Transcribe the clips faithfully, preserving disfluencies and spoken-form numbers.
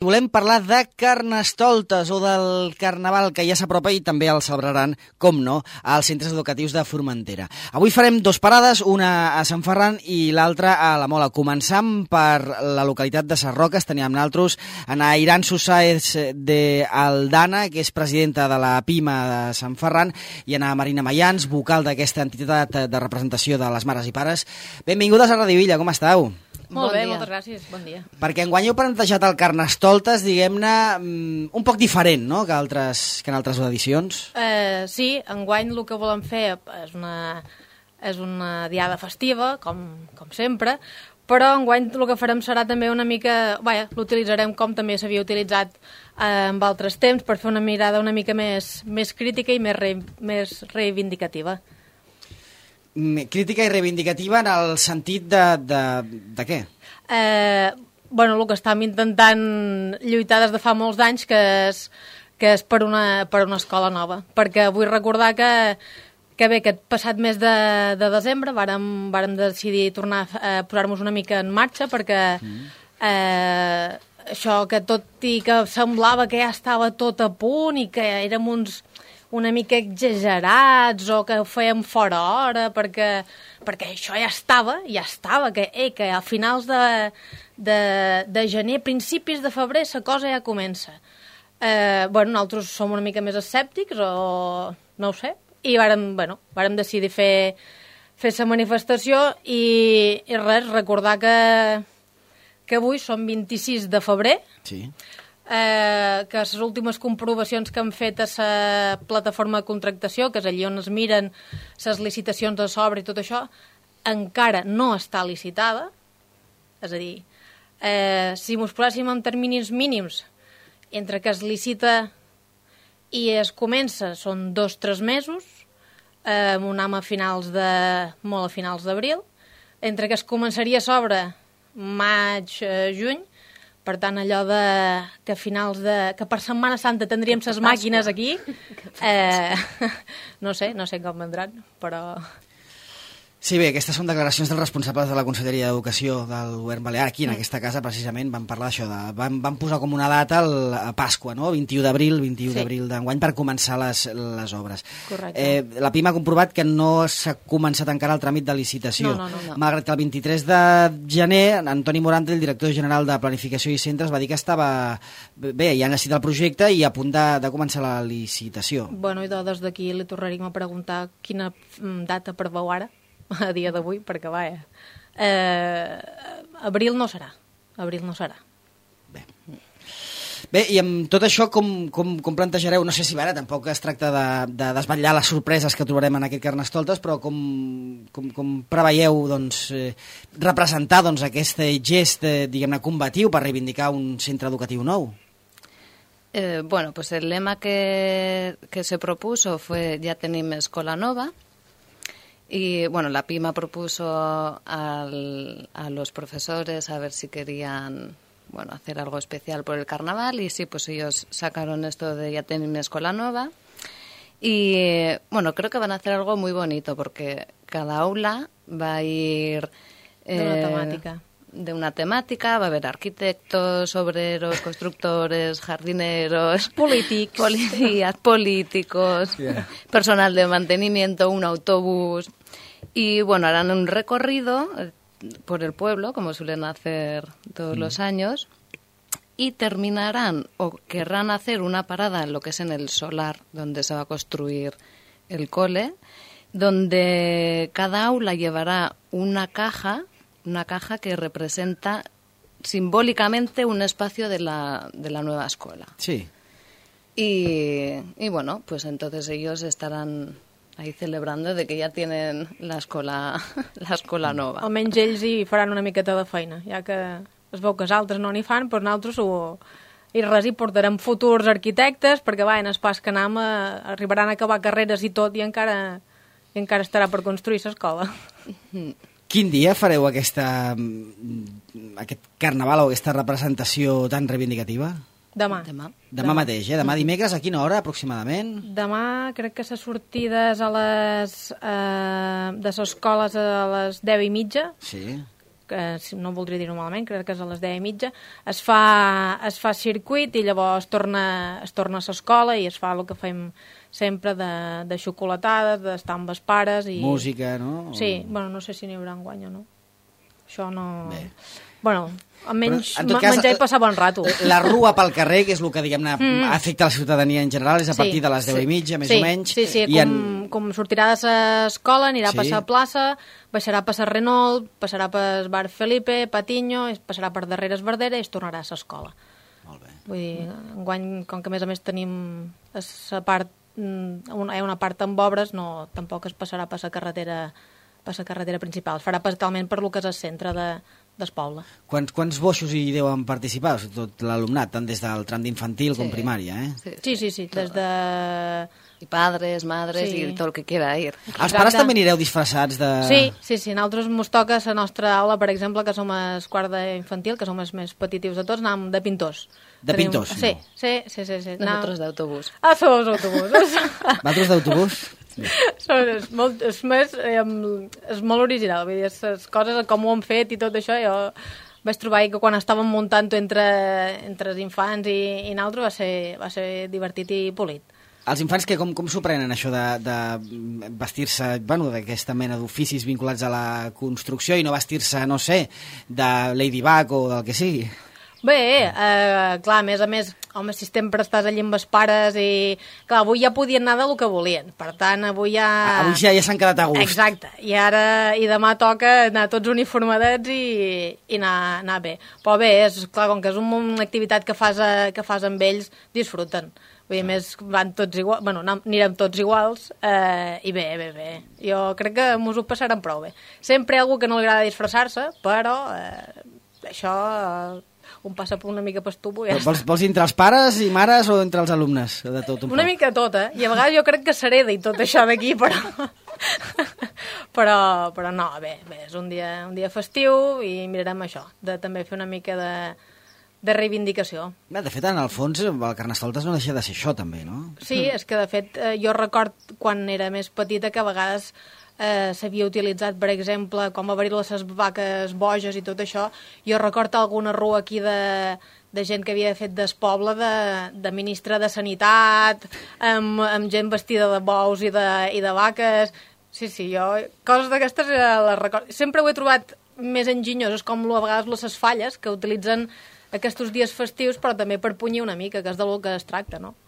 Volem parlar de Carnestoltes o del Carnaval, que ja s'apropa i també el celebraran, com no, als centres educatius de Formentera. Avui farem dos parades, una a Sant Ferran i l'altra a la Mola. Començam per la localitat de Sarroques. Tenim amb nosaltres Ana Iran Susáez de Aldana, que és presidenta de la PIMA de Sant Ferran, i Ana Marina Mayans, vocal d'aquesta entitat de representació de les mares i pares. Benvingudes a Radio Illa, com esteu? Molt bé, moltes gràcies, bon dia. Perquè enguany heu plantejat el Carnestoltes, diguem-ne, un poc diferent, no?, que, altres, que en altres edicions. Uh, sí, enguany el que volem fer és una, és una diada festiva, com, com sempre, però enguany el que farem serà també una mica... Vaja, l'utilitzarem com també s'havia utilitzat eh, en altres temps, per fer una mirada una mica més, més crítica i més, re, més reivindicativa. Crítica i reivindicativa en el sentit de, de, de què? Eh, bueno, el que estàvem intentant lluitar des de fa molts anys, que és, que és per, una, per una escola nova. Perquè vull recordar que, que bé, aquest passat mes de, de desembre vàrem, vàrem decidir tornar a posar-nos una mica en marxa, perquè mm. eh, això que tot i que semblava que ja estava tot a punt i que érem uns... una mica exagerats o que ho fèiem fora hora, perquè, perquè això ja estava, ja estava, que, eh, que a finals de, de, de gener, principis de febrer, la cosa ja comença. Eh, bueno, nosaltres som una mica més escèptics o no ho sé, i vàrem, bueno, vàrem decidir fer fer la manifestació i, i res, recordar que, que avui són vint-i-sis de febrer, sí. Eh, que les últimes comprovacions que han fet a la plataforma de contractació, que és allà on es miren les licitacions de sobre i tot això, encara no està licitada. És a dir, eh, si ens poséssim en terminis mínims, entre que es licita i es comença són dos o tres mesos, eh, amb un am a finals de... molt a finals d'abril, entre que es començaria a sobre maig, eh, juny, per tant, allò de que a finals de... que per Setmana Santa tindríem les màquines aquí, eh, no sé, no sé com vendran, però... Sí, bé, aquestes són declaracions dels responsables de la Conselleria d'Educació del Govern Balear. Aquí, en aquesta casa, precisament, van parlar d'això. De, van, van posar com una data el, a Pasqua, no? vint-i-u d'abril, vint-i-u sí. d'abril d'enguany, per començar les, les obres. Correcte. Eh, la PIMA ha comprovat que no s'ha començat encara el tràmit de licitació. No, no, no, no. Malgrat que el vint-i-tres de gener, Antoni Morante, el director general de Planificació i Centres, va dir que estava... Bé, ja han decidit el projecte i a punt de, de començar la licitació. Bueno, i des d'aquí li tornaríem a preguntar quina data preveu ara, a dia d'avui, perquè vaja, eh, abril no serà, abril no serà. Bé, Bé i amb tot això com, com, com plantejareu, no sé si ara tampoc es tracta de, de desvetllar les sorpreses que trobarem en aquest Carnestoltes, però com, com, com preveieu doncs, eh, representar doncs, aquest gest, eh, diguem-ne, combatiu per reivindicar un centre educatiu nou? Eh, bueno, pues el lema que, que se propuso fue "Ya tenim escola nova". Y bueno, la PIMA propuso al, a los profesores a ver si querían, bueno, hacer algo especial por el carnaval, y sí, pues ellos sacaron esto de "Ya tenim escola nueva". Y bueno, creo que van a hacer algo muy bonito, porque cada aula va a ir eh, de una temática. de una temática, va a haber arquitectos, obreros, constructores, jardineros, políticos, policías, políticos, yeah. personal de mantenimiento, un autobús, y bueno, harán un recorrido por el pueblo, como suelen hacer todos mm. los años, y terminarán o querrán hacer una parada en lo que es en el solar, donde se va a construir el cole, donde cada aula llevará una caja una caja que representa simbólicamente un espacio de la, de la nueva escuela. Sí. Y, y bueno, pues entonces ellos estarán ahí celebrando de que ja tienen l'escola l'escola nova. Almenys ells hi faran una miqueta de feina, ja que es veu que els altres no n'hi fan, però nosaltres ho... i res, hi portarem futurs arquitectes, perquè va, en el pas que anem a... arribaran a acabar carreres i tot, i encara, i encara estarà per construir l'escola. Quin dia fareu aquesta, aquest carnaval o aquesta representació tan reivindicativa? Demà. Demà. Demà, Demà mateix, eh? Demà dimecres, a quina hora aproximadament? Demà crec que la sortida és a les... Eh, de les escoles a les deu i mitja. Sí. que no voldria dir-ho malament, crec que és a les deu i mitja, es fa, es fa circuit i llavors torna, es torna a l'escola i es fa el que fem sempre de, de xocolatades, d'estar amb els pares. I... Música, no? Sí, bueno, no sé si n'hi haurà enguany o no. Això no... Bé. Bueno, almenys Però, cas, menjar i passar bon rato. La rua pel carrer, que és el que, diguem-ne, mm. afecta la ciutadania en general, és a partir sí, de les deu sí. i mitja, més sí, o menys. Sí, sí, com, en... com sortirà de l'escola, anirà sí. a passar plaça, baixarà per Renault, passarà per Bar Felipe, Patiño, passarà per darrere Esbardera i es tornarà a l'escola. Molt bé. Vull dir, enguany, com que a més a més tenim la part, una, una part amb obres, no, tampoc es passarà per la carretera, per la carretera principal. Es farà totalment per lo que és el centre de del poble. Quants, quants boixos hi deuen participar? Tot l'alumnat, tant des del tram d'infantil sí. com primària, eh? Sí, sí, sí, sí des de... I padres, madres sí. i tot el que quiera ir. Els Exacte. Pares també anireu disfressats de... Sí, sí, sí. Nosaltres mos toca la nostra aula, per exemple, que som el quart d'infantil, que som els més petitius de tots, anàvem de pintors. De Tenim... pintors? Sí, no. sí, sí, sí, sí. Nosaltres d'autobús. Ah, som els autobusos. Vosaltres d'autobús? Sí. És, molt, és, més, eh, és molt original, vull dir, les coses, com ho han fet i tot això, jo vaig trobar que quan estàvem muntant entre, entre els infants i, i nosaltres va ser, va ser divertit i polit. Els infants que com, com s'ho prenen, això de, de vestir-se, bueno, d'aquesta mena d'oficis vinculats a la construcció i no vestir-se, no sé, de Ladybug o del que sigui? Bé, eh, clar, a més a més, home, si sempre estàs allà amb els pares i... Clar, avui ja podien anar del que volien, per tant, avui ja... Avui ja, ja s'han quedat a gust. Exacte, i ara, i demà toca anar tots uniformadets i, i anar, anar bé. Però bé, és clar, com que és una activitat que fas, a, que fas amb ells, disfruten. Vull dir, més van tots iguals, bueno, anirem tots iguals, eh, i bé, bé, bé. Jo crec que mos ho passaran prou bé. Sempre hi ha algú que no li agrada disfressar-se, però eh, això... Eh, un passa per una mica per estupo i ja vols, vols entre els pares i mares o entre els alumnes? De tot un una poc. Mica tot, eh? I a vegades jo crec que s'hereda i tot això d'aquí, però... però... però no, bé, bé, és un dia, un dia festiu i mirarem això, de també fer una mica de, de reivindicació. Bé, de fet, en el fons, el Carnestoltes no deixa de ser això, també, no? Sí, és que, de fet, jo record quan era més petita que a vegades... Eh, s'havia utilitzat, per exemple, com obrir les vaques boges i tot això. Jo recordo alguna rua aquí de, de gent que havia fet del poble de, de ministre de Sanitat, amb, amb gent vestida de bous i de, i de vaques. Sí, sí, jo... Coses d'aquestes les recordo. Sempre ho he trobat més enginyoses, com a vegades les falles, que utilitzen aquests dies festius, però també per punyir una mica, que és del que es tracta, no?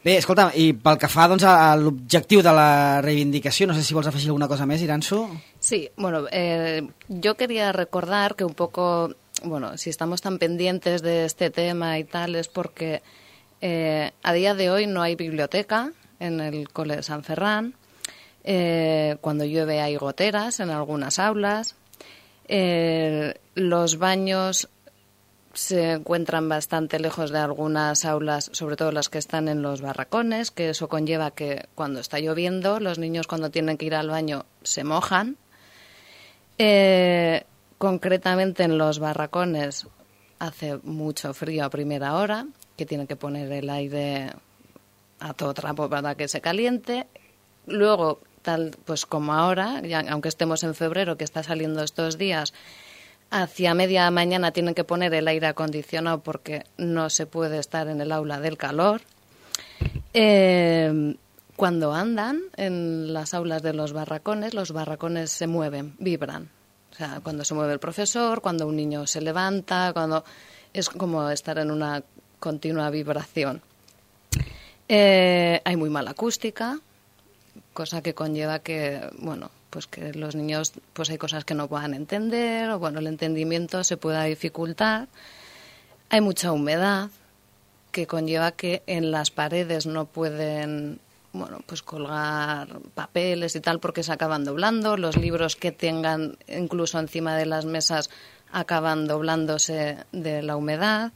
Bé, escolta, i pel que fa doncs, a l'objectiu de la reivindicació, no sé si vols afegir alguna cosa més, Iranzu. Sí, bueno, eh, yo quería recordar que un poco, bueno, si estamos tan pendientes de este tema y tal, es porque eh, a día de hoy no hay biblioteca en el Cole de San Ferran, eh, cuando llueve hay goteras en algunas aulas, eh, los baños se encuentran bastante lejos de algunas aulas, sobre todo las que están en los barracones, que eso conlleva que cuando está lloviendo, los niños cuando tienen que ir al baño se mojan. Eh, concretamente en los barracones hace mucho frío a primera hora, que tienen que poner el aire a todo trapo para que se caliente. Luego, tal pues como ahora, ya, aunque estemos en febrero, que está saliendo estos días, hacia media mañana tienen que poner el aire acondicionado porque no se puede estar en el aula del calor. Eh, cuando andan en las aulas de los barracones, los barracones se mueven, vibran. O sea, cuando se mueve el profesor, cuando un niño se levanta, cuando es como estar en una continua vibración. Eh, hay muy mala acústica, cosa que conlleva que, bueno, pues que los niños, pues hay cosas que no puedan entender, o bueno, el entendimiento se pueda dificultar. Hay mucha humedad, que conlleva que en las paredes no pueden, bueno, pues colgar papeles y tal, porque se acaban doblando. Los libros que tengan incluso encima de las mesas acaban doblándose de la humedad.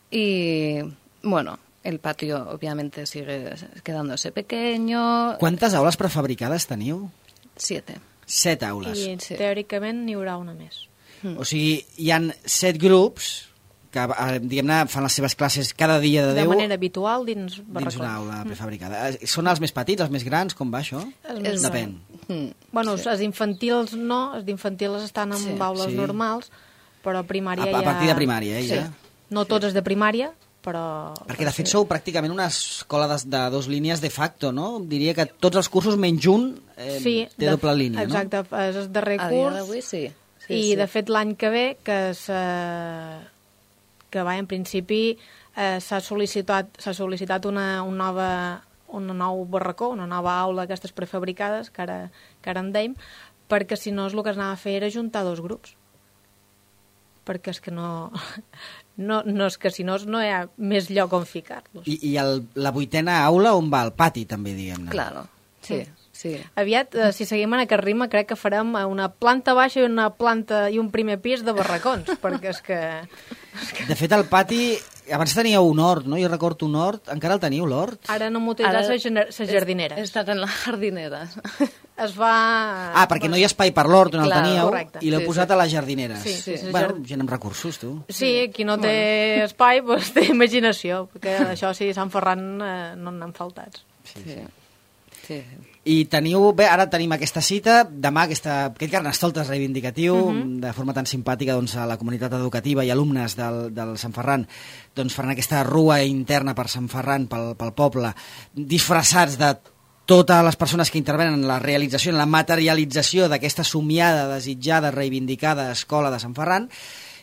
Y, bueno, el patio obviamente sigue quedándose pequeño. ¿Cuántas aulas prefabricades teniu? Siete. Set aules. I sí. Teòricament n'hi haurà una més. Mm. O sigui, hi han set grups que, diguem-ne, fan les seves classes cada dia de Déu. De manera habitual dins barracons. Dins una aula prefabricada. Mm. Són els més petits, els més grans? Com va això? És, Depèn. Mm, Bueno, sí. els infantils no, els d'infantils estan en Sí. aules Sí. normals, però a primària A, ja... a partir de primària, eh, Sí. ja? No tots els de primària, però... Perquè, de fet, sou pràcticament una escola de, de dos línies de facto, no? Diria que tots els cursos, menys un, eh, sí, té de- doble línia, exacte, és el darrer A dia curs. d'avui sí. sí I, sí. de fet, l'any que ve, que s'ha... que va, en principi, eh, s'ha sol·licitat, s'ha sol·licitat una, un, nova, un nou barracó, una nova aula d'aquestes prefabricades, que ara, que ara en dèiem, perquè si no, el que es anava a fer era juntar dos grups. Perquè és que no... No, no és que si no, no hi ha més lloc on ficar-los. I, i el, la vuitena aula on va? Al pati, també, diguem-ne. Claro, sí, sí. Aviat, eh, si seguim en aquest ritme, crec que farem una planta baixa i una planta i un primer pis de barracons, perquè és que... De fet, al pati, abans teníeu un hort, no? Jo recordo un hort. Encara el teniu, l'hort? Ara no m'utilitzar les gener- les jardineres. He estat en les jardineres. Es va... Ah, perquè no hi ha espai per l'hort on el Clar, teníeu correcte. i l'heu Sí, posat sí. a les jardineres. Sí, sí, sí, Bueno, jard- gent amb recursos, tu. Sí, qui no té espai, doncs té imaginació, perquè això sí, Sant Ferran eh, no n'han faltats. Sí, sí. sí. I teniu, bé, ara tenim aquesta cita, demà aquesta, aquest carnestoltes reivindicatiu, uh -huh. de forma tan simpàtica doncs, a la comunitat educativa i alumnes del, del Sant Ferran, doncs faran aquesta rua interna per Sant Ferran, pel, pel poble, disfressats de totes les persones que intervenen en la realització, en la materialització d'aquesta somiada, desitjada, reivindicada escola de Sant Ferran,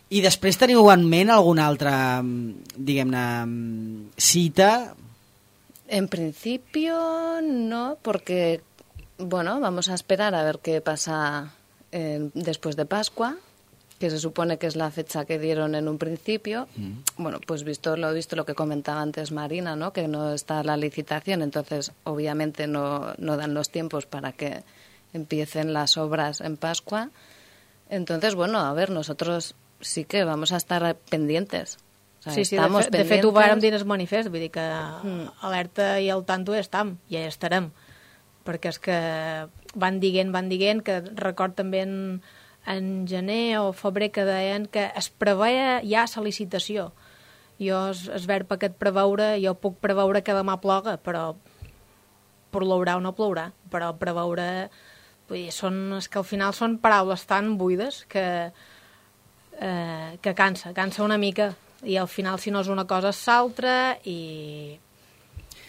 i després teniu en ment alguna altra, diguem-ne, cita? En principio no, porque bueno, vamos a esperar a ver qué pasa eh, después de Pascua, que se supone que es la fecha que dieron en un principio. Mm. Bueno, pues visto lo visto lo que comentaba antes Marina, ¿no? Que no está la licitación, entonces obviamente no, no dan los tiempos para que empiecen las obras en Pascua. Entonces, bueno, a ver, nosotros sí que vamos a estar pendientes. O sea, Sí, sí, de, estamos fe, de pendientes. fet ho vàrem dir en el manifest, vull dir que mm. alerta i al tanto ja estam, ja hi estarem, perquè és que van dient, van dient, que record també en, en gener o febrer que deien que es preveia ja la licitació. Jo, es, es verb aquest preveure, jo puc preveure que demà ploga, però plourà o no plourà, però preveure, vull dir, són, és que al final són paraules tan buides que, eh, que cansa, cansa una mica. I al final, si no és una cosa, és l'altra, i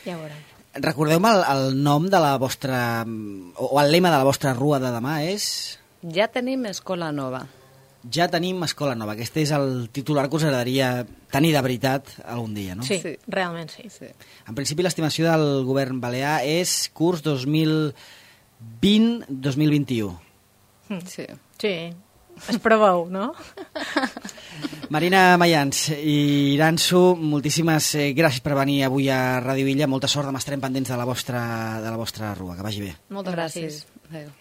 ja ho veurem. Recordeu-me el, el nom de la vostra... o, o el lema de la vostra rua de demà és... Ja tenim escola nova. Ja tenim escola nova. Aquest és el titular que us agradaria tenir de veritat algun dia, no? Sí, Sí. realment sí. Sí. En principi, l'estimació del govern balear és curs dos mil vint dos mil vint-i-u. Sí. Sí, es preveu, no? Marina Mayans i Iransu, moltíssimes eh, gràcies per venir avui a Ràdio Illa. Molta sort, demà estarem pendents de la vostra, de la vostra rua. Que vagi bé. Moltes gràcies. Gràcies. Adéu.